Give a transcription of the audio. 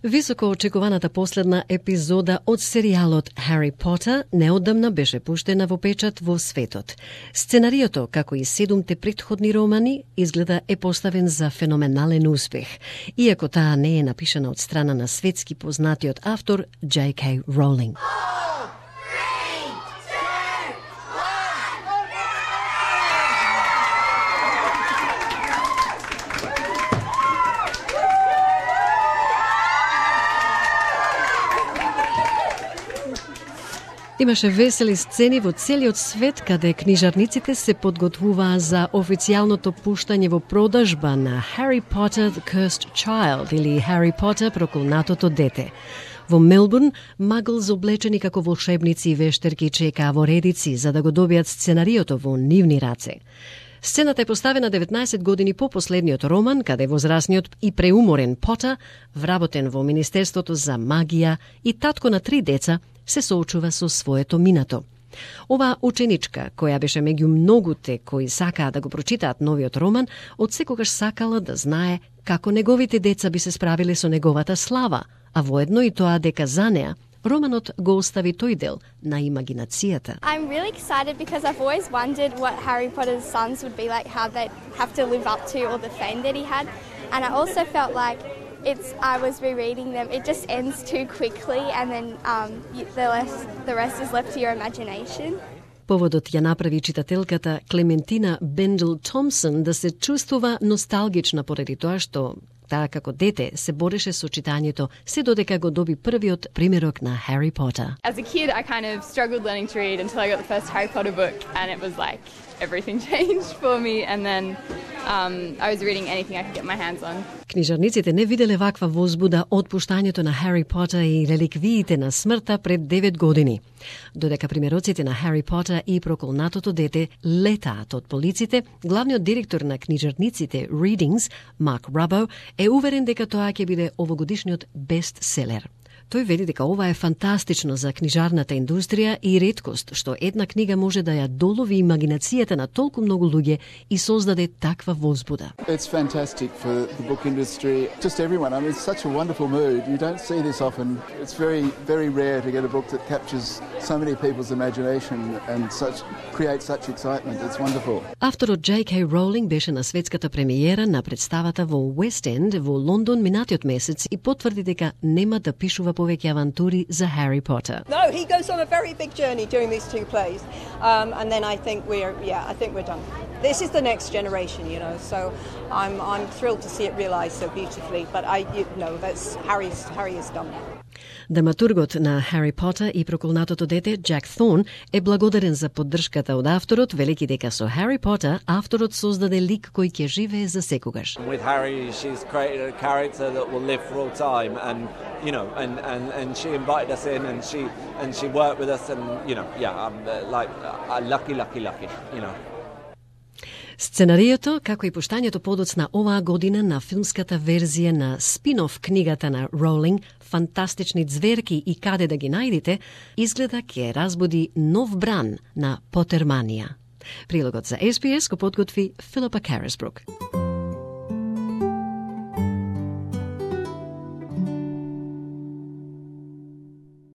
Високо очекуваната последна епизода од серијалот Harry Potter неодамна беше пуштена во печат во светот. Сценариото, како и 7 претходни романи, изгледа е поставен за феноменален успех, иако таа не е напишана од страна на светски познатиот автор J.K. Rowling. Имаше весели сцени во целиот свет, каде книжарниците се подготвуваа за официјалното пуштање во продажба на Harry Potter the Cursed Child или Harry Potter проколнатото дете. Во Мелбурн, маглз облечени како волшебници и вештерки чекаа во редици за да го добијат сценариото во нивни раце. Сцената е поставена 19 години по последниот роман, каде возрасниот и преуморен Потер, вработен во Министерството за магија и татко на 3 деца, се соочува со своето минато. Оваа ученичка, која беше меѓу многуте кои сакаа да го прочитаат новиот роман, од секогаш сакала да знае како неговите деца би се справиле со неговата слава, а воедно и тоа дека за неа романот го остави тој дел на имагинацијата. I'm really excited because I've always wondered what Harry Potter's sons would be like, how they'd have to live up to all the fame that he had. And I also felt like I was rereading them, it just ends too quickly and then the rest is left to your imagination. Поводот ја направи читателката Клементина Бендел Томсон да се чувствува носталгична поради тоа што таа како дете се бореше со читањето се додека го доби првиот примерок на Harry Potter. As a kid, I kind of struggled learning to read until I got the first Harry Potter book and it was like everything changed for me and then I was reading anything I could get my hands on. Книжарниците не виделе ваква возбуда од пуштањето на Harry Potter и реликвиите на смртта пред 9 години. Додека примероците на Harry Potter и проколнатото дете летаат од полиците, главниот директор на книжарниците Readings, Марк Рабо, е уверен дека тоа ќе биде овогодишниот бестселер. Тој вели дека ова е фантастично за книжарната индустрија и реткост што една книга може да ја долови имагинацијата на толку многу луѓе и создаде таква возбуда. It's fantastic for the book industry, just everyone. I mean, it's such a wonderful mood. You don't see this often. It's very, very rare to get a book that captures so many people's imagination and creates such excitement. It's wonderful. Авторот J.K. Rowling беше на светската премиера на представата во West End во Лондон минатиот месец и потврди дека нема да пишува повеќе авантури за Harry Potter. No, he goes on a very big journey during these 2 plays. And then I think we're done. This is the next generation, you know. So I'm thrilled to see it realized so beautifully, but Harry is done. Драматургот на Harry Potter и проколнатото дете Джак Thorne е благодарен за поддршката од авторот, велики дека со Harry Potter авторот создаде лик кој ќе живее за секогаш. With Harry, she's created a character that will live for all time, and you know, and she invited us in, and she worked with us, and you know, I'm like lucky, you know. Сценариото, како и пуштањето подоцна оваа година на филмската верзија на спин-оф книгата на Роулинг, Фантастични ѕверки и каде да ги најдете, изгледа ќе разбуди нов бран на Потерманија. Прилогот за SBS го подготви Филипа Карисбрук.